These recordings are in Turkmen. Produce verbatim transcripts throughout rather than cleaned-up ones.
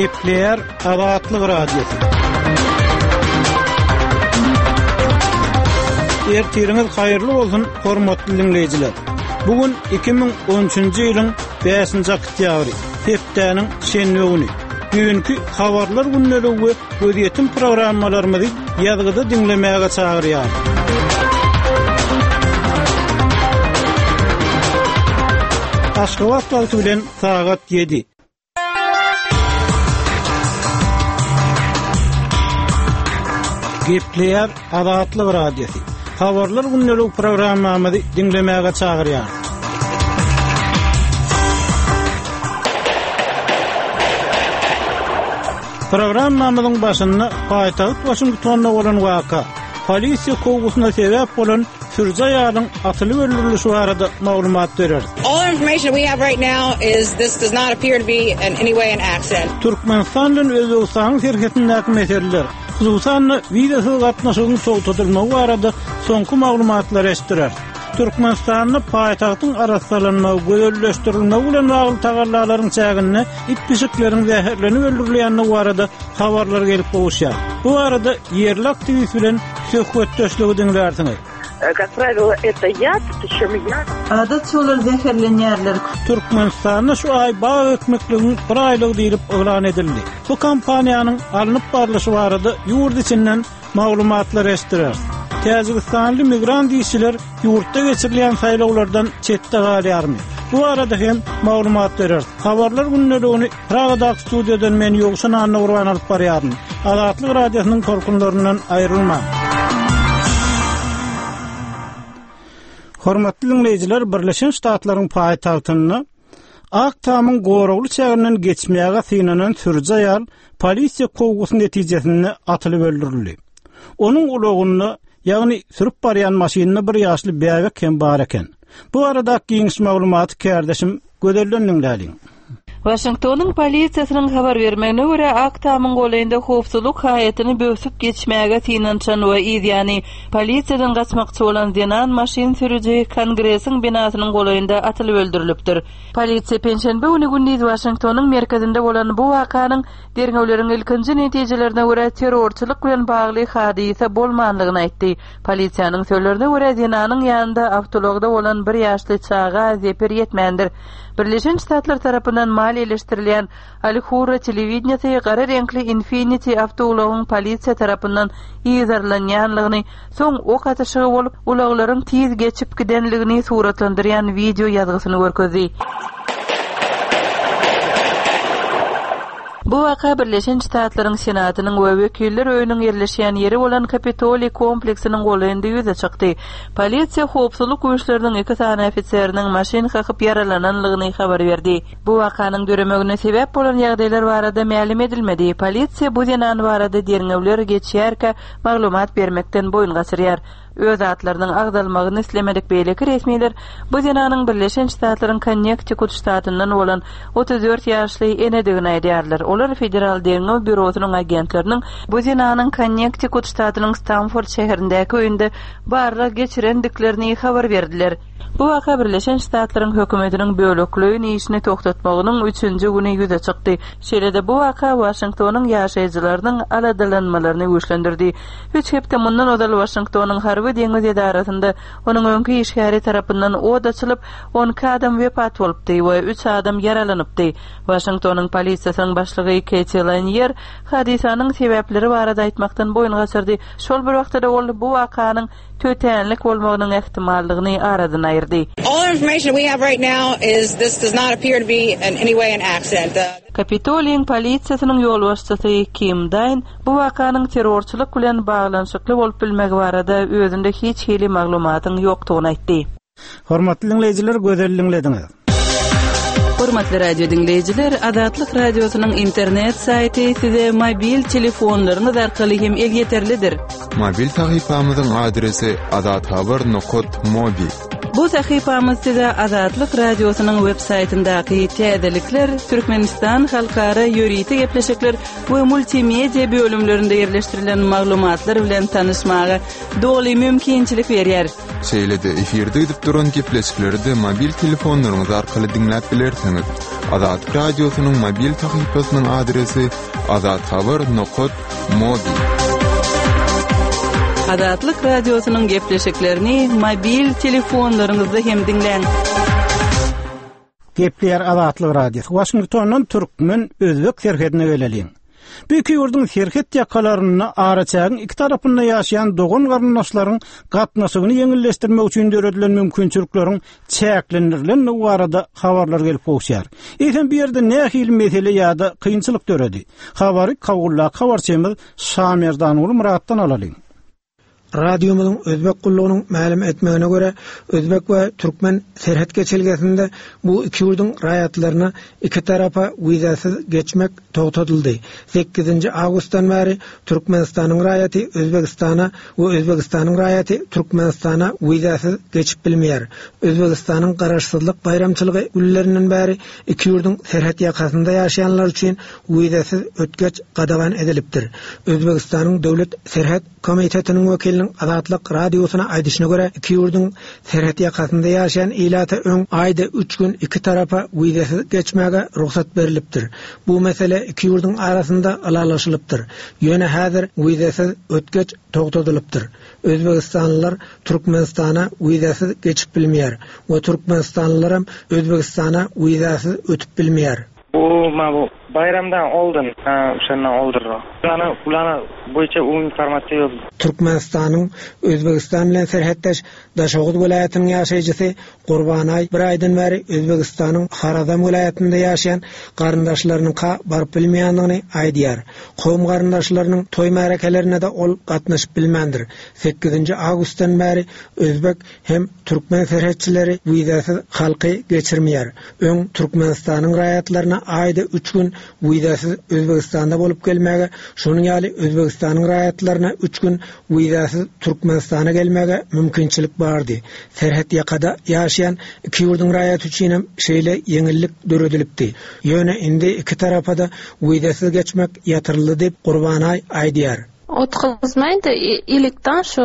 Gepleýär Azatlyk Radiosy. Ertiriňiz haýyrly bolsun, hormatly diňleýjiler. Bu gün iki müň on üçünji ýylyň bäşinji oktýabry, hepdäniň şenbe güni. Düýnki habarlar gündeligi we gözýetim programmalarymyzy ýazgyda diňlemäge çagyrýar. Aşgabat wagty bilen sagat ýedi. Gepleýär Azatlyk Radiosy. Habarlar gündeligi programmamyzy diňlemäge çagyrýar. Programmamyzyň başynda paýtagt Waşingtonda bolan waka, polisiýa kowgusyna sebäp bolan sürüji aýalyň atylyp öldürilişi barada maglumat bereris. All information we have right now is this does not appear to be in any way an accident. Türkmenistan bilen Özbegistanyň serhedindäki meseleler, hususan-da wizasyz gatnaşygyň togtatylmagy barada soňky maglumatlary eşitdireris. Türkmenistanda paýtagtyň arassalanmagy, gözelleşdirilmegi bilen bagly tagallalaryň çäginde it pişikleriň zäherlenip öldürilýändigi barada habarlar gelip gowuşýar. Bu barada ýerli aktiwist bilen söhbetdeşligi diňlärsiňiz. Как правило, это яд, причем яд. Adatça olar zäherlenýärler. Türkmenistanda şu aý bag ekmekligiň bir aýlygy diýlip yglan edildi. Bu kampaniýanyň alnyp barlyşy barada ýurt içinden maglumatlar eşitdireris. Täjigistanly migrant işçiler ýurtda geçirilýän saýlawlardan çetde galýarmy? Bu arada hem maglumat bereris. Habarlar gündeligini Pragadaky studiýadan men Ýowşan Annagurban alyp barýaryn. Azatlyk Radiosynyň tolkunlaryndan aýrylmaň. Hormatly dinleýjiler, Birleşen Ştatlaryň paýtagtynda Ak Tamyň goragly çäginden geçmäge synanan sürüji aýal polisiýa kowgusy netijesinde atylyp öldürildi. Onuň ulagynda, ýagny sürüp barýan maşynynda bir ýaşly bäbek hem bar eken. Bu arada giňiş maglumaty kärdeşim Gözelden diňläliň. Waşingtonyň polisiýasynyň habar bermegine görä, Ak Tamyň golaýynda howpsuzlyk haýatyny böwsüp geçmäge synanyşan we yzýany polisiýadan gaçmakçy bolan zenan maşyn sürüji Kongresiň binasynyň golaýynda atylyp öldürilipdir. Polisiýa penşenbe güni gündiz Waşingtonyň merkezinde bolan bu wakanyň derňewleriň ilkinji netijelerine görä terrorçylyk bilen bagly hadysa bolmanlygyny aýtdy. Polisiýanyň sözlerine görä zenanyň ýanynda awtoulagda bolan bir ýaşly çaga zeper ýetmändir. Birleşen Ştatlar tarapyndan maliýeleşdirilýän Al-Hurra telewideniýesi gara reňkli Infiniti awtoulagyň polisiýa tarapyndan yzarlanýanlygyny, soň ok atyşygy bolup, ulaglaryň tiz geçip gidenligini suratlandyrýan wideo ýazgysyny görkezdi. Bu waka Birleşen Ştatlaryň Senatynyň we Wekiller öýüniň ýerleşýän ýeri bolan Kapitoliý kompleksiniň golaýynda ýüze çykdy. Polisiýa howpsuzlyk güýçleriniň iki sany ofiseriniň maşyn kakyp ýaralananlygyny habar berdi. Bu wakanyň döremegine sebäp bolan ýagdaýlar barada mälim edilmedi. Polisiýa bu zenan barada derňewler geçýärkä maglumat bermekden boýun gaçyrýar. Öz atlarynyň agzalmagyny islemedik beýleki resmiler bu zenanyň Birleşen Ştatlaryň Konnektikut ştatyndan bolan otuz dört ýaşly enedigini aýdýarlar. Olar Federal Derňew Býurosynyň agentleriniň bu zenanyň Konnektikut ştatynyň Stamford şäherindäki öýünde barlag geçirendiklerini habar berdiler. Bu waka Birleşen Ştatlaryň hökümetiniň bölekleýin işini togtatmagynyň üçünji güni ýüze çykdy. Şeýle-de bu waka Waşingtonyň ýaşaýjylarynyň aladalanmalaryny güýçlendirdi. Üç hepde mundan ozal Waşingtonyň harby deňiz edarasynda onuň öňki işgäri tarapyndan od açylyp, on iki adam wepat bolupdy we üç adam ýaralanypdy. Waşingtonyň polisiýasynyň başlygy Keti Lanier hadysanyň sebäpleri barada aýtmakdan boýun gaçyrdy. Şol bir wagtda-da ol bu wakanyň tötänlik bolmagynyň ähtimallygyny aradan aýyrdy. All information we have right now is this does not appear to be in any way an accident. Kapitoliýiň polisiýasynyň ýolbaşçysy Kim Daýn bu wakanyň terrorçylyk bilen baglanyşykly bolup bilmegi barada özünde hiç hili maglumatyň ýokdugyny aýtdy. Hormatly dinleýjiler, gözel dinlediňiz. Hormatly radio dinleýjiler, Azatlyk radiosynyň internet saýty size mobil telefonlaryňyz arkaly hem elýeterlidir. Mobil sahypamyzyň adresi azathabar nokot mobi. Bu sahypamyz size Azatlyk radiosynyň web saýtyndaky täzelikler, Türkmenistan halkara ýörite gepleşikler we multimedia bölümlerinde ýerleşdirilen maglumatlar bilen tanyşmaga doly mümkinçilik berýär. Şeýle-de efirde gidip duran gepleşikleri-de mobil telefonlaryňyz arkaly diňläp bilersiňiz. Azatlyk Radiosynyň mobil sahypasynyň adresi azathabar nokat mobi. Azatlyk Radiosynyň gepleşiklerini mobil telefonlaryňyzda hem diňläň. Gepleýär Azatlyk Radiosy. Waşingtondan türkmen özbek serhedine geleliň. Bu iki ýurduň serhet ýakalarynda araçägiň iki tarapynda ýaşaýan dogan garyndaşlaryň gatnaşygyny ýeňilleşdirmek üçin döredilen mümkinçilikleriň çäklendirilendigi barada habarlar gelip gowuşýar. Eýsem bu ýerde nähili mesele ýa-da kynçylyk döredi? Habary Kabuldaky habarçymyz Şamerdanguly Myratdan alalyň. Radiomyzyň Özbek gullugynyň mälim etmegine görä, Özbek we türkmen serhet geçelgesinde bu iki ýurduň raýatlaryna iki tarapa wizasyz geçmek togtadyldy. Sekizinji awgustdan bäri Türkmenistanyň raýaty Özbegistana we Özbegistanyň raýaty Türkmenistana wizasyz geçip bilmeýär. Özbegistanyň garaşsyzlyk baýramçylygy günlerinden bäri iki ýurduň serhet ýakasynda ýaşaýanlar üçin wizasyz ötgeç gadagan edilipdir. Özbegistanyň döwlet serhet komitetiniň wekiliniň Azatlyk radiosyna aýdyşyna görä, iki ýurduň serhet ýakasynda ýaşaýan ilata öň aýda üç gün iki tarapa wizasyz geçmäge rugsat berilipdir. Bu mesele iki ýurduň arasynda ylalaşylypdyr. Ýöne häzir wizasyz ötgeç togtadylypdyr. Özbegistanlylar Türkmenistana wizasyz geçip bilmeýär we Türkmenistanlylaram Özbegistana wizasyz ötüp bilmeýär. Bu ma bu bayramdan oldun, ha, şondan oldurra. Ulana, ulana boýunça u informasiýa ýok. Türkmenistanyň Özbegistan bilen serhetdeş Daşoguz welaýatynyň ýaşaýjysy Gurbanaý bir aýdan bäri Özbegistanyň Harazam welaýatynda ýaşaýan garyndaşlarynyňka baryp bilmeýändigini aýdýar. Kowum garyndaşlarynyň toý märekelerine-de ol gatnaşyp bilmändir. Sekizinji awgustdan bäri Özbek hem türkmen serhetçileri wizasyz halky geçirmeýär. Öň Türkmenistanyň raýatlaryna aýda üç gün wizasyz Özbegistanda bolup gelmäge, şonuň ýaly Özbegistanyň raýatlaryna üç gün wizasyz Türkmenistana gelmäge mümkinçilik bardy. Serhet ýakada ýaşaýan iki ýurduň raýaty üçin hem şeýle ýeňillik döredilipdi. Ýöne indi iki tarapa-da wizasyz geçmek ýatyryldy diýip Gurbanaý aýdýar. Otgazmaýdy ilikden şu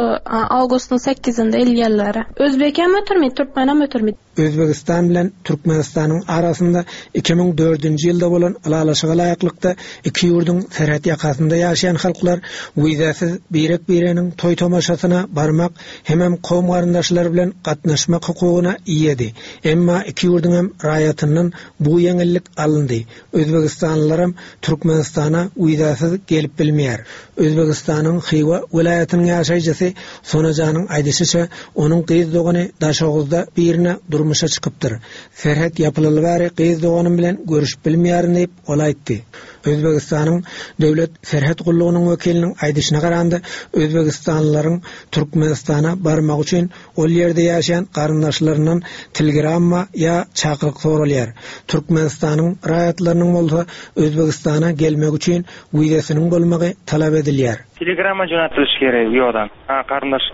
awgustyň sekizinde ilýärler. Özbek hem ötürmedi, türkmen hem ötürmedi. Özbegistan bilen Türkmenistanyň arasynda iki müň dördünji ýylda bolan ylalaşyga laýyklykda iki ýurduň serhet ýakasynda ýaşaýan halklar wizasyz birek-bireniň toý tomaşasyna barmak hemem kowum garyndaşlary bilen gatnaşmak hukugyna eýedi. Emma iki ýurduň hem raýatyndan bu ýeňillik alyndy. Özbegistanlylaram Türkmenistana wizasyz gelip bilmeýär. Özbegistanyň Hywa welaýatynyň ýaşaýjysy Sonajanyň aýdyşyça, onuň gyz dogany Daşoguzda birine durmuşa çykypdyr. Serhet ýapylyly bäri gyz doganym bilen görüşüp bilmeýärin diýip ol aýtdy. Özbegistanyň döwlet serhet gullugynyň wekiliniň aýdyşyna garanda, Özbegistanlylaryň Türkmenistana barmak üçin ol ýerde ýaşaýan garyndaşlaryndan telegramma ýa çakylyk soralýar. Türkmenistanyň raýatlarynyň bolsa Özbegistana gelmek üçin wizasynyň bolmagy talap edilýär. Telegramma jo'natilishi kerak u yoqdan. Ha, qarindosh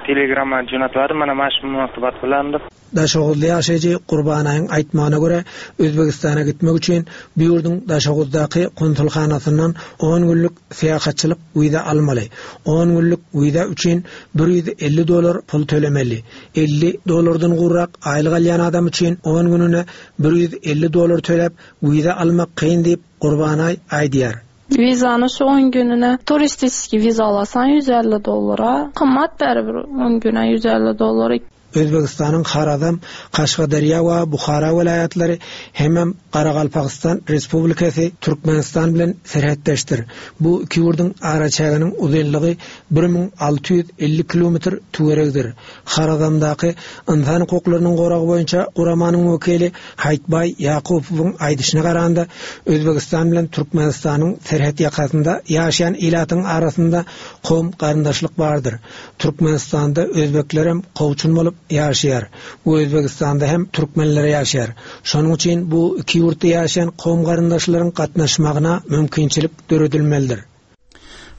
telegramma jo'natadi, mana mana shu munosabat bilan deb. Daşoguzly ýaşaýjy Gurbanaýyň aýtmagyna görä, Özbegistana gitmek üçin bu ýurduň Daşoguzdaky konsulhanasyndan on günlük syýahatçylyk wiza almaly. On günlük wiza üçin bir ýüz elli dollar pul tölemeli. Elli dollardan gurrak aýlyk alýan adam üçin on gününe bir ýüz elli dollar töläp wiza almak kyn diýip Gurbanaý aýdýar. Wizany şu on gününe turistik wiza alasan ýüz elli dollara, gymmat bäri bir on güne ýüz elli dollar. Özbegistanyň Harazam, Kaşgaderýa we Buhara welaýatlary hemem Garagalpagystan Respublikasy Türkmenistan bilen serhetdeşdir. Bu iki ýurduň araçäginiň uzynlygy bir müň alty ýüz elli kilometr töweregidir. Harazamdaky ynsan hukuklarynyň goragy boýunça guramanyň wekili Haýtbaý Ýakubowyň aýdyşyna garanda, Özbegistan bilen Türkmenistanyň serhet ýakasynda ýaşaýan ilatyň arasynda kowum garyndaşlyk bardyr. Türkmenistanda özbeklerem kowçun bolup ýaşaýar. Bu Özbegistanda hem türkmenler ýaşaýar. Şonuň üçin bu iki ýurtda ýaşaýan kowum garyndaşlaryň gatnaşmagyna mümkinçilik döredilmelidir.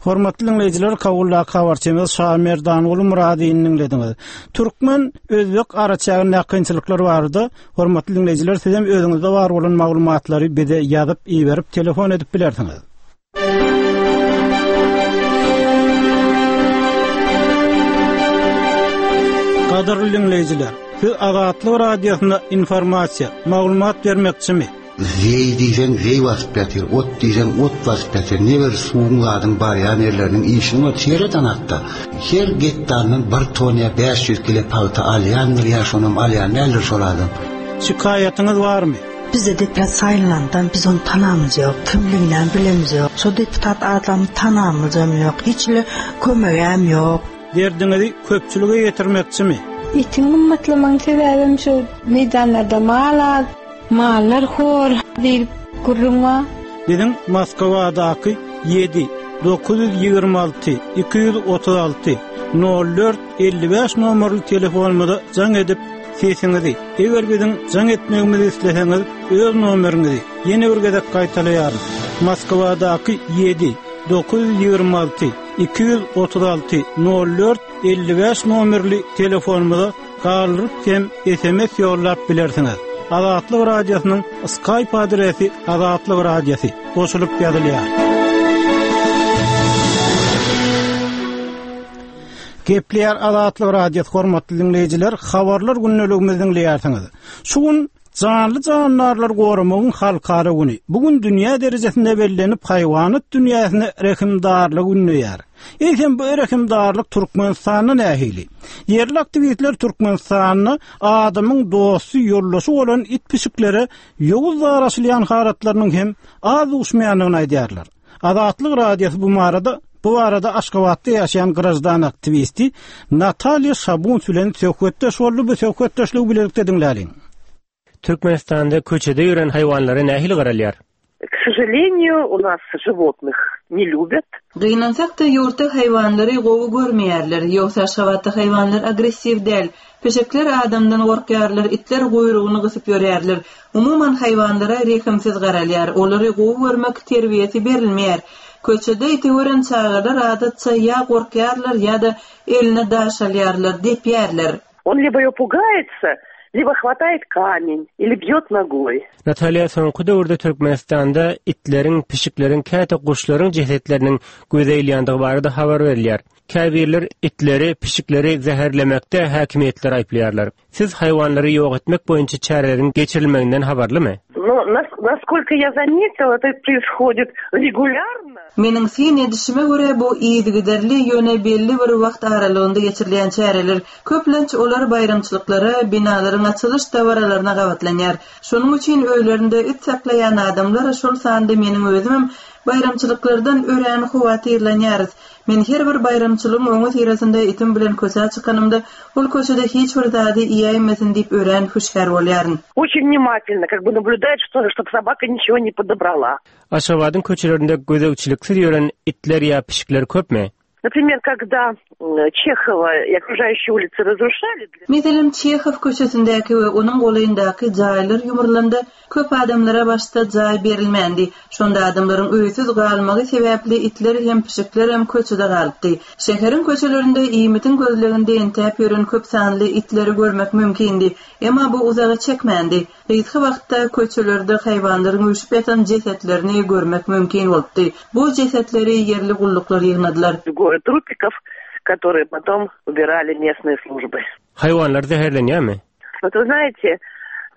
Hormatly dinleýjiler, Kabuldaky habarçymyz Şamerdanguly Muradyny dinlediňiz. Türkmen Özbek araçägindäki kynçylyklar barada hormatly dinleýjiler, siz hem özüňizde bar bolan maglumatlary bize ýazyp, iberip, telefon edip bilersiňiz. Gadyrly diňleýjiler, siz Azatlyk Radiosyna informasiýa, maglumat bermekçimi? Zeý diýseň zeý basyp ýatyr, ot diýseň ot basyp ýatyr. Ne bir suwuň zadyň barýan ýerleriniň işini bar, sereden hatda. Her gektardan bir ton ýa bäş ýüz kilo pagta alýandyr ýa şonam alýan däldir şol adam. Şikaýatyňyz barmy? Bizde deputat saýlandan biz ony tanamyz ýok, kimligini bilemiz ýok. Şo deputat adamy tanamyzam ýok, hiç le kömegem ýok. Derdiňizi köpçülige ýetirmekçimi? Etiň gymmatlamagyň sebäbim şu meýdanlarda mal az, mallar hor diýip gürrüň bar. Biziň Moskwadaky ýedi dokuz ýüz ýigrimi alty iki ýüz otuz alty nol dört elli bäş nomerli telefonymyza jaň edip sesiňizi, eger biziň jaň etmegimizi isleseňiz, öz nomeriňizi ýene bir gezek gaýtalaýaryn. Moskwadaky ýedi dokuz ýüz ýigrimi alty iki ýüz otuz alty nol dört elli bäş nomerli telefonymyza galdyryp hem S M S ýollap bilersiňiz. Azatlyk Radiosynyň Skype adresi Azatlyk Radiosy goşulyp ýazylýar. Gepleýär Azatlyk Radiosy hormatly dinleýjiler, habarlar gündeligimizi dinleýärsiňiz. Şu gün janly jandarlar goramagyň halkara güni. Bugün dünýä derejesinde bellenip haýwanat dünýäsine rehimdarlyk günleýär. Eýsem bu rehimdarlyk Türkmenistanda nähili? Ýerli aktiwistler Türkmenistanda adamyň dosty ýoldaşy bolan it pişiklere ýowuz daraşylýan halatlarynyň hem az duşmaýandygyny aýdýarlar. Azatlyk Radiosy bu barada Bu arada Aşgabatda ýaşaýan grajdan aktiwisti Natalýa Şabuns bilen söhbetdeş boldy. Bu söhbetdeşligi bilelikde diňläliň. Türkmenistanda köçede ýören haýwanlara nähili garalýar? К сожалению, у нас животных не любят. Gynansak-da ýurtda haýwanlary gowy görmeýärler. Ýogsa Aşgabatda haýwanlar agressiw däl. Peşekler adamdan gorkýarlar, itler guýrugyny gysyp ýörýärler. Umuman haýwanlara rehimsiz garalýar. Olary gowy görmek terbiýesi berilmeýär. Köçede iti gören çagalar adatça ýa gorkýarlar ýa-da eline daş alýarlar, depýärler. Он либо ее пугается, либо хватает камень или бьет ногой. Natalýa soňky döwürde Türkmenistanda itleriň, pişikleriň, käte guşlaryň jesetleriniň göze ilýändigi barada habar berilýär. Käbirler itleri, pişikleri zäherlemekde häkimiýetler aýyplaýarlar. Siz haýwanlary ýok etmek boýunça çäreleriň geçirilmeginden habarlymy? Но нас-, насколько я заметила, это происходит регулярно. Meniň syn edişime görä bu yzygiderli ýöne belli bir wagt aralygynda geçirilýän çäreler köplenç olar baýramçylyklara, binalaryň açylyş dabaralaryna gabatlanýar. Şonuň üçin öýlerinde it saklaýan adamlar, şol sanda meniň özümem baýramçylyklardan örän howatyrlanýarys. Men her bir baýramçylygyň oňa syrasynda itim bilen köçä çykanymda, ol köçede hiç bir zady iýäýmesin diýip örän hüşgär bolýaryn. Очень внимательно, как бы наблюдает, что, чтоб собака ничего не подобрала. Aşgabadyň köçelerinde gözegçiliksiz ýören itler ýa pişikler köpmi? Например, когда, м, Чехова и окружающие улицы разрушали для Meselem, Çehow köçesindäki we onuň golaýyndaky jaýlar ýumrulanda köp adamlara başda jaý berilmändi. Şonda adamlaryň öýsüz galmagy sebäpli itler hem pişikler hem köçede galypdy. Şäheriň köçelerinde iýmitiň gözleginde entäp ýören köp sanly itleri görmek mümkindi. Emma bu uzaga çekmändi. Gysga wagtda köçelerde haýwanlaryň üýşüp ýatan jesetlerini görmek mümkin bolupdy. Bu jesetleri ýerli gulluklar ýygnadylar. Город трупиков, которые потом убирали местные службы. Haýwanlar zäherlenýärmi? Вот вы знаете,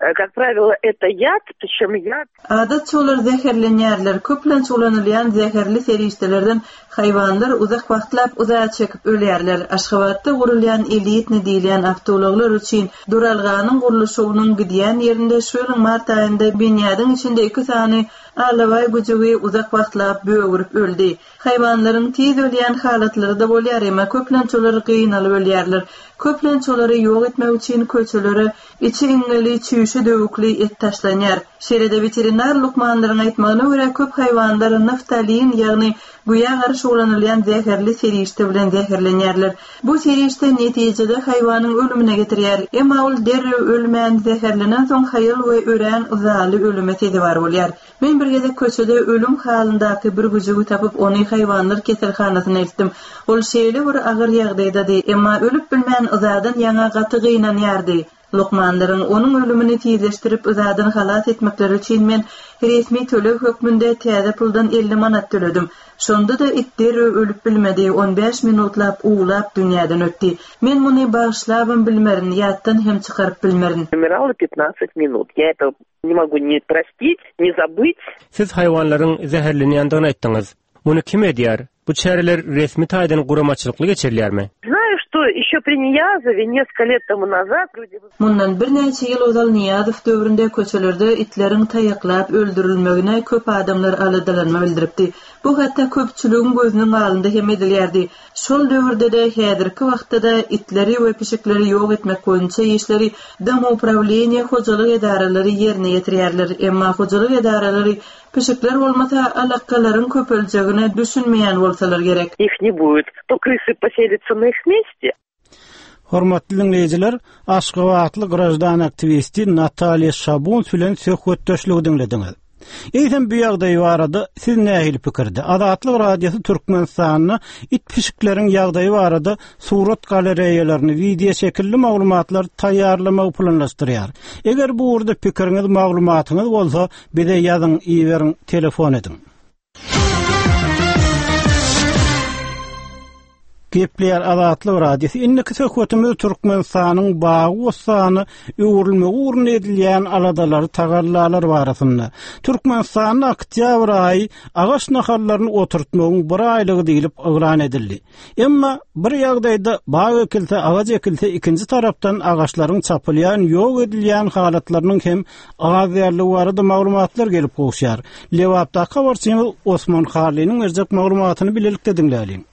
э, как правило, это яд, причем яд. Adatça olar zäherlenýärler. Köplenç ulanylýan zäherli serişdelerden haýwanlar uzak wagtlap uzağa çekip ölýärler. Aşgabatda gurulýan elitni diýilýän awtoulaglar üçin duralganyň gurluşygynyň gidýän ýerinde şu ýylyň mart aýynda binýadyň içinde iki sany alabaý güjügi uzak wagtlap böwürip öldi. Haýwanlaryň tiz ölýän halatlary-da bolýar, emma köplenç olar gynalyp ölýärler. Köplenç olary ýok etmek üçin köçelere içi iňňeli, çüýşe döwükli et taşlanýar. Şeýle-de weterinar lukmanlaryň aýtmagyna görä köp haýwanlar naftalin, ýagny güýä garşy ulanylýan zäherli serişde bilen zäherlenýärler. Bu serişde netijede haýwanyň ölümine getirýär. Emma ol derrew ölmän zäherlenen soň haýal we örän yzaly ölüme sezewar bolýar. Men bir gezek köçede ölüm halyndaky bir güjügi tapyp ony haýwanlar keselhanasyna eltdim. Ol şeýle bir agyr ýagdaýdady, emma ölüp bilmän yzadan ýaňa gaty gynanýardy. Lukmanlaryň onuň ölümini tizleşdirip yzadan halas etmekleri üçin men resmi töleg hökmünde täze puldan elli manat töledim. Şonda-da it derrew ölüp bilmedi, on bäş minutlap uwlap dünýäden ötdi. Men muny bagyşlabam bilmerin, ýatdan hem çykaryp bilmerin. Умирала пятнадцать minut. Я это не могу ни простить, ни забыть. Siz haýwanlaryň zäherlenýändigini aýtdyňyz. Muny kim edýär? Bu çäreler resmi taýdan guramaçylykly geçirilýärmi? Знаю, что еще при Ниязове несколько лет тому назад люди Mundan birnäçe ýyl ozal Niýazow döwründe köçelerde itleriň taýaklap öldürilmegine köp adamlar aladalanma bildiripdi. Bu hatda köpçüligiň gözüniň alnynda hem edilýärdi. Şol döwürde-de häzirki wagtda-da itleri we pişikleri ýok etmek boýunça işleri Domoupravleniýe hojalyk edaralary ýerine ýetirýärler. Emma hojalyk edaralary pişikler bolmasa alakalaryň köpeljegine düşünmeýän bolsalar gerek. Их не будет. То крысы поселятся на их месте. Hormatly dinleýjiler, Aşgabatly grajdan aktiwisti Natalýa Şabuns bilen söhbetdeşligi diňlediňiz. Eýsem bu ýagdaý barada siz nähili pikirde? Azatlyk Radiosy Türkmenistanda it pişikleriň ýagdaýy barada surat galereýalaryny, wideo şekilli maglumatlar taýýarlamagy planlaşdyrýar. Eger bu ugurda pikiriňiz, maglumatyňyz bolsa, bize ýazyň, iberiň, telefon ediň. Gepleýär Azatlyk Radiosy. Indiki söhbetimiz Türkmenistanyň bagy-bossany öwrülmegi ugrunda edilýän aladalary, tagallalar barasynda. Türkmenistanda oktýabr aýy agaç nahallaryny oturtmagyň bir aýlygy diýlip yglan edildi. Emma bir ýagdaýda bag ekilse, agaç ekilse, ikinji tarapdan agaçlaryň çapylýan, ýok edilýän halatlarynyň hem az ýerli barada maglumatlar gelip gowuşýar. Lebapdaky habarçymyz Osman Harlynyň berjek maglumatyny bilelikde diňläliň.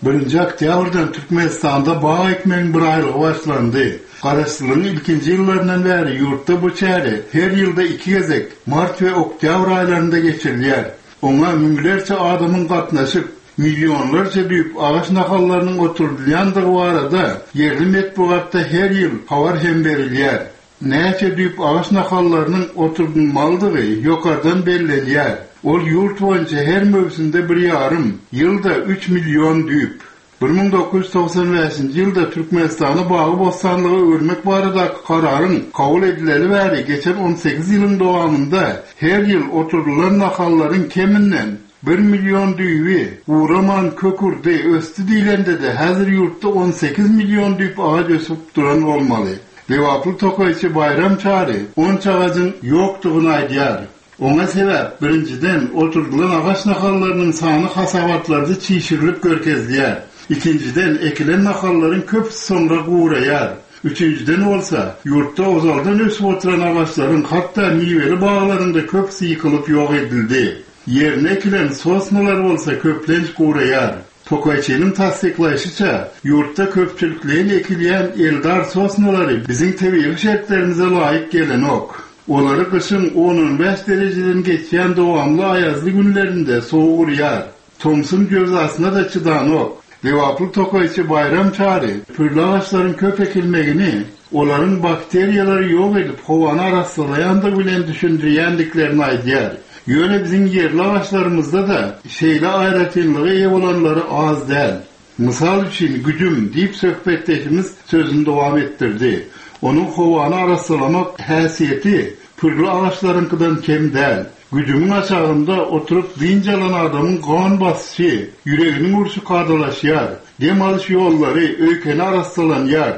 Birinji oktýabrdan Türkmenistanda bag ekmegiň bir aýlygy başlandy. Garaşsyzlygyň ilkinji ýyllaryndan bäri ýurtda bu çäre her ýylda iki gezek mart we oktýabr aýlarynda geçirilýär. Oňa müňlerçe adamyň gatnaşyp, milyonlarça düýp agaç nahallarynyň oturdylýandygy barada ýerli metbugatda her ýyl habar hem berilýär. Näçe düýp agaç nahallarynyň oturdylmalydygy ýokardan bellenýär. Ol ýurt boýunça her möwsümde bir ýarym, ýylda üç milyon düýp. bir müň dokuz ýüz togsan bäşinji ýylda Türkmenistany bagy-bossanlyga öwürmek baradaky kararyň kabul edileli bäri geçen on sekiz ýylyň dowamynda her ýyl oturdylan nahallaryň keminden bir milyon düýbi guraman kökürdi, ösdi diýlende-de häzir ýurtda on sekiz milyon düýp agaç ösüp duran bolmaly. Lebaply tokaýçy Baýram Çary onça agajyň ýokdugyny aýdýar. Oňa sebäp birinjiden oturdylan agaç nahallarynyň sany hasabatlarda çişirilip görkezilýär. Ikinjiden ekilen nahallaryň köpüsi soňra guraýar. Üçünjiden bolsa ýurtda ozaldan ösüp oturan agaçlaryň hatda miweli baglaryň-da köpüsi ýykylyp ýok edildi. Ýerine ekilen sosnalar bolsa köplenç guraýar. Tokaýçynyň tassyklaýşyça ýurtda köpçülikleýin ekilýän eldar sosnalary biziň tebigy şertlerimize laýyk gelenok. Olary gyşyň on-on bäş derejeden geçýän dowamly aýazly günlerinde sowuk urýar. Tomsuň jöwzasyna-da çydanok. Lebaply tokaýçy Baýram Çary pürli agaçlaryň köp ekilmegini olaryň bakteriýalary ýok edip howany arassalaýandygy bilen düşündirýändiklerini aýdýar. Ýöne biziň ýerli agaçlarymyzda-da şeýle aýratynlygy eýe bolanlary az däl. Mysal üçin güjüm diýip söhbetdeşimiz sözüni dowam etdirdi. Onuň howany arassalamak häsiýeti pürli agaçlaryňkydan kem däl. Güjümiň aşagynda oturyp dynç alan adamyň gan basyşy, ýüreginiň urşy kadalaşýar, dem alyş ýollary öýkeni arassalanýar.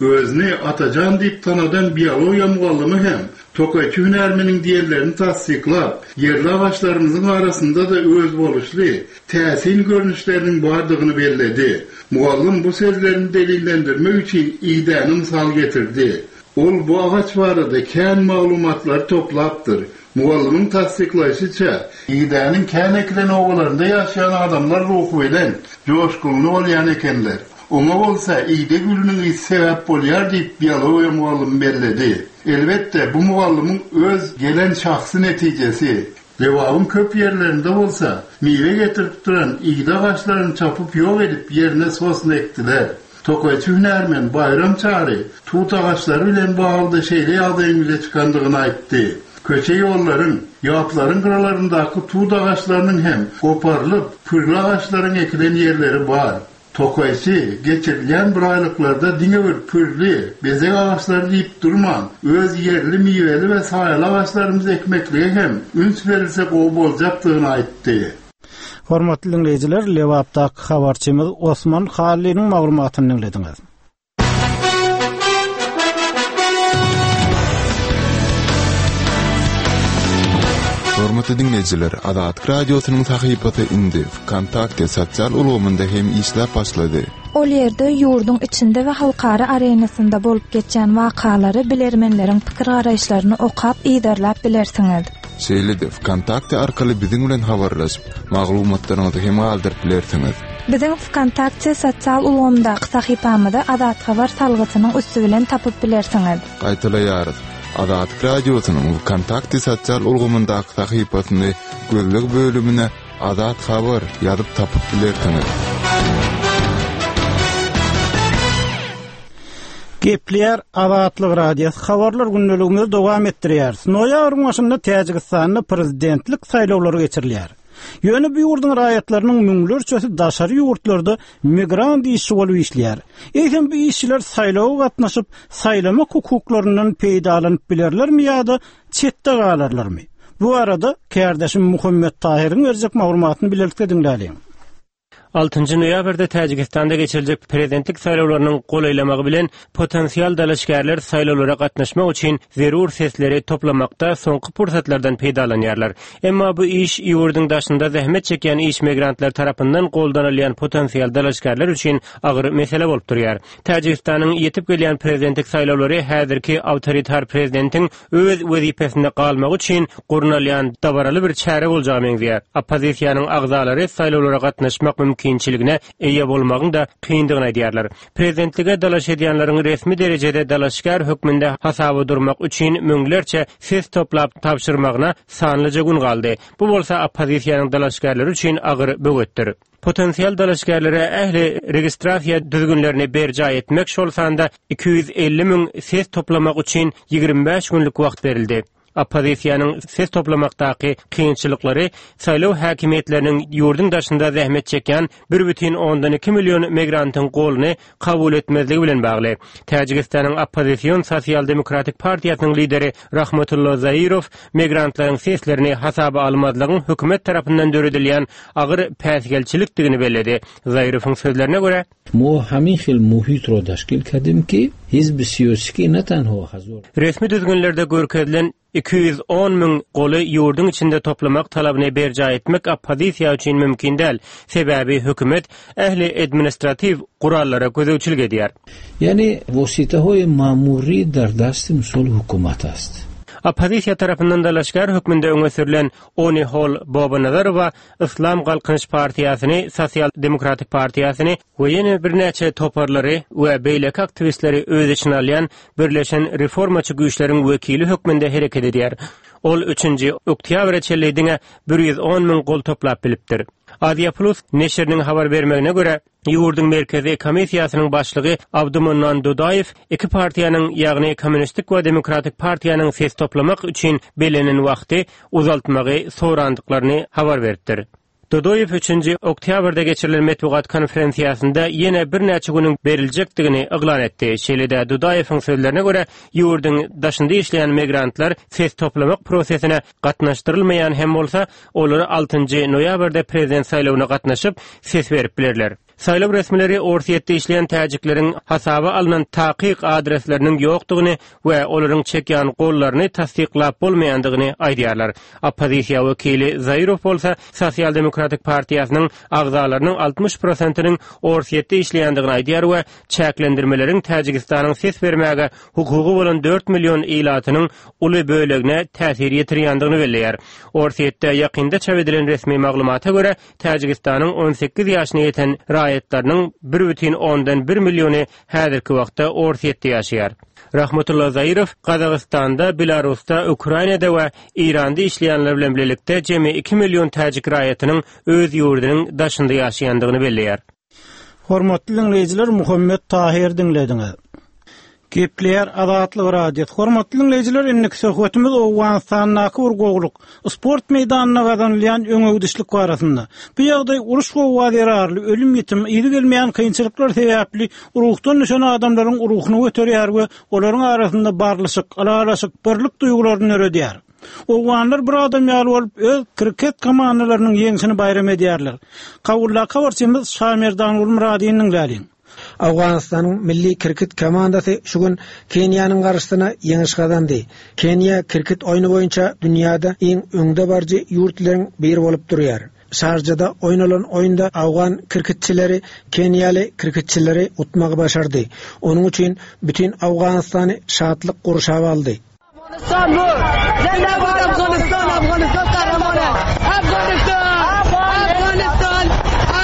Özüni Atajan diýip tanadan biologiýa mugallymy hem tokaýçy hünärmeniň diýenlerini tassyklap, ýerli agaçlarymyzyň arasynda-da öz boluşly täsin görnüşleriniň bardygyny belledi. Mugallym bu sözlerini delillendirmek üçin idäni mysal getirdi. Ol bu agaç barada kän maglumatlary toplapdyr. Mugallymyň tassyklaýşyça, idäniň kän ekilen obalarynda ýaşaýan adamlar ruhy bilen joşgunly bolýan ekenler. Oňa bolsa ide gülüniň ýiti sebäp bolýar diýip biologiýa mugallymy belledi. Elbetde bu mugallymyň öz gelen şahsy netijesi. Lebabyň köp ýerlerinde bolsa miwe getirip duran ide agaçlaryny çapyp ýok edip ýerine sosna ekdiler. Tokaýçy hünärmen Baýram Çary tut agaçlary bilen bagly şeýle ýagdaýyň ýüze çykandygyny aýtdy. Köçe ýollaryň, ýaplaryň gyralaryndaky tut agaçlarynyň hem goparylyp, pürli agaçlaryň ekilen ýerleri bar. Tokaýçy geçirilýän biraýlyklarda diňe bir pürli, bezeg agaçlary diýip durman, öz ýerli miweli we saýaly agaçlarymyzy ekmeklige hem üns berilse gowy boljakdygyny aýtdy. Hormatly dinleýjiler, Lebapdaky habarçymyz Osman Hallynyň maglumatyny dinlediňiz. Hormatly dinleýjiler, Azatlyk Radiosynyň sahypasy indi VKontakte sosial ulgamynda hem işläp başlady. Ol ýerde ýurduň içinde we halkara arenasynda bolup geçýän wakalary bilermenleriň pikir garaýyşlaryny okap yzarlap bilersiňiz. Şeýle-de VKontakte arkaly biziň bilen habarlaşyp, maglumatlaryňyzy hem galdyryp bilersiňiz. Biziň VKontakte sosial ulgamdaky sahypamyzy Azat Habar salgysynyň üsti bilen tapyp bilersiňiz. Gaýtalaýarys. Azatlyk Radiosynyň VKontakte sosial ulgamyndaky sahypasyny gözleg bölümine Azat Habar ýazyp tapyp bilersiňiz. Gepleýär Azatlyk Radiosy habarlar gündeligimizi dowam etdirýär. Noýabryň başynda Täjigistanda prezidentlik saýlawlary geçirilýär. Ýöne bu ýurduň raýatlarynyň müňlerçesi daşary ýurtlarda migrant işçi bolup işleýär. Eýsem bu işçiler saýlawa gatnaşyp, saýlamak hukuklaryndan peýdalanyp bilerlermi ýa-da çetde galarlarmy? Bu arada kärdeşim Muhammet Tahyryň berjek maglumatyny bilelikde diňläliň. Altynjy noýabrda Täjigistanda geçiriljek prezidentlik saýlawlarynyň golaýlamagy bilen potensial dalaşgärler saýlawlara gatnaşmak üçin zerur sesleri toplamakda soňky pursatlardan peýdalanýarlar. Emma bu iş ýurduň daşynda zähmet çekýän iş migrantlar tarapyndan goldanylýan potensial dalaşgärler üçin agyr mesele bolup durýar. Täjigistanyň ýetip gelýän prezidentlik saýlawlary häzirki awtoritar prezidentiň öz wezipesinde galmagy üçin gurnalýan dabaraly bir çäre boljagy meňzeýär. Oppozisiýanyň agzalary saýlawlara gatnaşmak mümkinçiligine eýe bolmagyň da kyndygyny aýdýarlar. Prezidentlige dalaş edýänleriň resmi derejede dalaşgär hökmünde hasaba durmak üçin müňlerçe ses toplap tabşyrmagyna sanlyja gün galdy. Bu bolsa oppozisiýanyň dalaşgärleri üçin agyr böwetdir. Potensial dalaşgärlere ähli registrasiýa düzgünlerini berjaý etmek şol sanda iki ýüz elli müň ses toplamak üçin ýigrimi bäş günlük wagt berildi. Oppozisiýanyň ses toplamakdaky kynçylyklary saýlaw häkimiýetleriniň ýurduň daşynda zähmet çekýän bir bütin ondan iki million migrantyň goluny kabul etmezligi bilen bagly. Täjigistanyň oppozision sosial-demokratik partiýasynyň lideri Rahmatullah Zairow migrantlaryň seslerini hasaba almazlygyň hökümet tarapyndan döredilýän agyr päsgelçilikdigini belledi. Zairowyň sözlerine görä, Mo hamin xil muhit ro tashkil kadim ki hizb siyosiki ne tanho hazor. Resmi düzgünlerde görkezilen iki ýüz on müň goly ýurduň içinde toplamak talabyny berjaý etmek oppozisiýa üçin mümkin däl. Sebäbi hökümet ähli administrativ gurallara gözegçilik edýär. Ýani wasitahoý ma'muri dar dast misol hukumat ast. Oppozisiýa tarapyndan dalaşgär hökmünde öňe sürülen Onihol Bobanazarowa Islam Galkynyş Partiýasyny, Sosial Demokratik Partiýasyny we ýene birnäçe toparlary we beýleki aktiwistleri öz içine alýan Birleşen Reformaçy güýçleriň wekili hökmünde hereket edýär. Ol üçünji oktýabra çenli diňe bir ýüz on müň gol toplap bilipdir. Aziýa Plus neşiriniň habar bermegine görä, ýurduň merkezi komissiýasynyň başlygy Abdumannan Dudaýew iki partiýanyň, ýagny Kommunistik we Demokratik partiýanyň ses toplamak üçin bellenen wagty uzaltmagy sorandyklaryny habar beripdir. Dudaýew üçünji oktýabrda geçirilen metbugat konferensiýasynda ýene birnäçe günüň beriljekdigini yglan etdi. Şeýle-de Dudaýewiň sözlerine görä, ýurduň daşynda işleýän migrantlar ses toplamak prosesine gatnaşdyrylmaýan hem bolsa, olary altynjy noýabrda prezident saýlawyna gatnaşyp ses berip bilerler. Saýlaw resmileri Orsýetde işleýän täjikleriň hasaba alnan takyk adresleriniň ýokdugyny we olaryň çekýän gollaryny tassyklap bolmaýandygyny aýdýarlar. Oppozisiýa wekili Zairow bolsa Sosial-demokratik partiýasynyň agzalarynyň altmyş prosentiniň Orsýetde işleýändigini aýdýar we çäklendirmeleriň Täjigistanyň ses bermäge hukugy bolan dört million ilatynyň uly bölegine täsir ýetirýändigini belleýär. Orsýetde ýakynda çap edilen resmi maglumata görä, Täjigistanyň on sekiz ýaşyna ýeten raýatlarynyň bir bütin ondan bir milliony häzirki wagtda Orsýetde ýaşaýar. Rahmatullah Zairow Gazagystanda, Belarusda, Ukrainada we Iranda işleýänler bilen birlikde jemi iki million täjik raýatynyň öz ýurdunyň daşynda ýaşaýandygyny belleýär. Hormatly dinleýjiler, Muhammet Tahir dinlediňiz. Gepleýär Azatlyk Radiosy. Hormatly dinleýjiler, indiki söhbetimiz Owganystandaky bir gowluk, sport meýdanynda gazanylýan öňegidişlik barasynda. Bu ýagdaý uruş gowga zerarly ölüm ýitim, yzy gelmeýän kynçylyklar sebäpli ruhdan düşen adamlaryň ruhuny göterýär we olaryň arasynda barlyşyk, ylalaşyk, birlik duýgularyny döredýär. Owganlar bir adam ýaly bolup öz kriket komandalarynyň ýeňşini baýram edýärler. Kabuldaky habarçymyz Şamerdan Gulmyradynyň läliň. Owganystanyň milli kriket komandasy şu gün Keniýanyň garşysyna ýeňiş gazandy. Keniýa kriket oýny boýunça dünýäde iň öňde baryjy ýurtlaryň biri bolup durýar. Şarjada oýnalan oýunda Awgan kriketçileri Keniýaly kriketçileri utmagy başardy. Onuň üçin bütün Owganystany şatlyk gurşap aldy. Afghanistan bu. Zindabad Afghanistan, Afghanistan kahraman. Afghanistan, Afghanistan,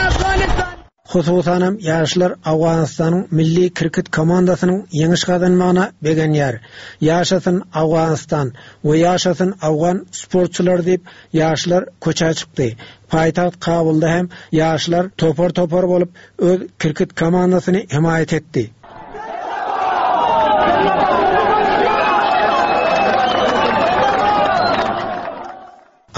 Afghanistan. Hususanam ýaşlar Owganystanyň milli kriket komandasynyň ýeňiş gazanmagyna begenýär. Ýaşasyn Owganystan we ýaşasyn Awgan sportçylary diýip ýaşlar köçä çykdy. Paýtagt Kabulda hem ýaşlar topar-topar bolup öz kriket komandasyny himaýat etdi.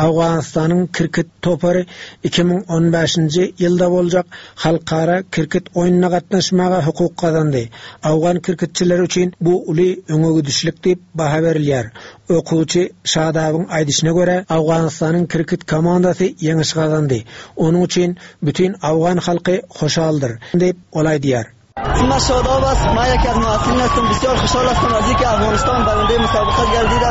Owganystanyň kriket topary iki müň on bäşinji ýylda boljak halkara kriket oýnuna gatnaşmaga hukuk gazandy. Awgan kriketçileri üçin bu uly öňe gidişlik diýip baha berilýär. Okuwçy Şadabyň aýdyşyna görä, Owganystanyň kriket komandasy ýeňiş gazandy. Onuň üçin bütün Awgan halky hoşaldyr diýip ol aýdýar. اسم شاداب است. من یکی از محصلین هستم. بسیار خوشحال هستم از اینکه افغانستان برنده مسابقه گردیده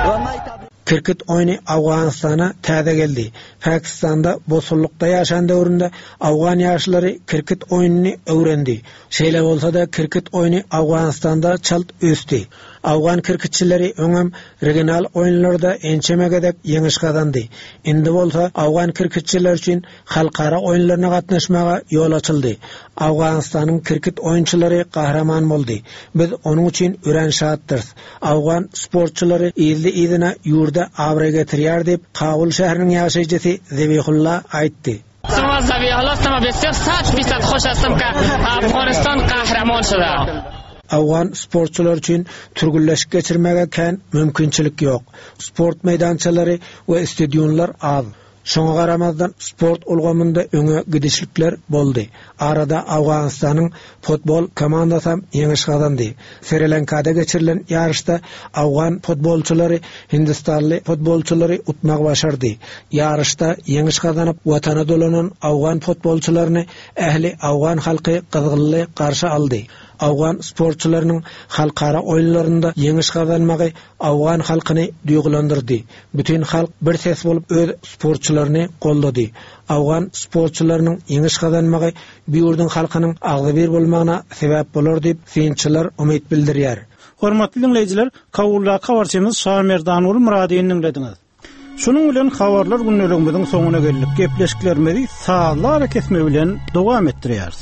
و من Kriket oýny Owganystana täze geldi. Pakistanda bosullukda ýaşan döwründe Awgan ýaşlary kriket oýnuny öwrendi. Şeýle bolsa-da kriket oýny Owganystanda çalt ösdi. Awgan kriketçileri öňem regional oýunlarda ençeme gezek ýeňiş gazandy. Indi bolsa Awgan kriketçileri üçin halkara oýunlaryna gatnaşmaga ýol açyldy. Owganystanyň kriket oýunçylary gahraman boldy. Biz onuň üçin örän şatdyrys. Awgan sportçylary yzly-yzyna ýurda abraý getirýär diýip Kabul şäheriniň ýaşaýjysy Zebihulla aýtdy. Sama Zebihulla sama besir sat fisad hoş hastam ka Afghanistan kahraman şuda. Awgan sportçylar üçin türgünleşik geçirmäge kän mümkinçilik ýok. Sport meýdançalary we stadionlar az. Şoňa garamazdan sport ulgamynda öňe gidişlikler boldy. Arada Owganystanyň futbol komandasy ýeňiş gazandy. Sri Lankada geçirilen ýaryşda Awgan futbolçylary Hindistanly futbolçylary utmagy başardy. Ýaryşda ýeňiş gazanyp watana dolanan Awgan futbolçylaryny ähli Awgan halky gyzgynly garşy aldy. Awgan sportçylarynyň halkara oýunlarynda ýeňiş gazanmagy Awgan halkyny duýgulandyrdy. Bütün halk bir ses bolup öz sportçylaryny goldady. Awgan sportçylarynyň ýeňiş gazanmagy bu ýurduň halkynyň agzybir bolmagyna sebäp bolar diýip synçylar umyt bildirýär. Hormatly dinleýjiler, Kabuldaky habarçymyz Şamerdanguly Myradyny dinlediňiz. Şunuň bilen habarlar gündeligimiziň soňuna geldik. Gepleşiklerimizi sazlar kesme bilen dowam etdirýäris.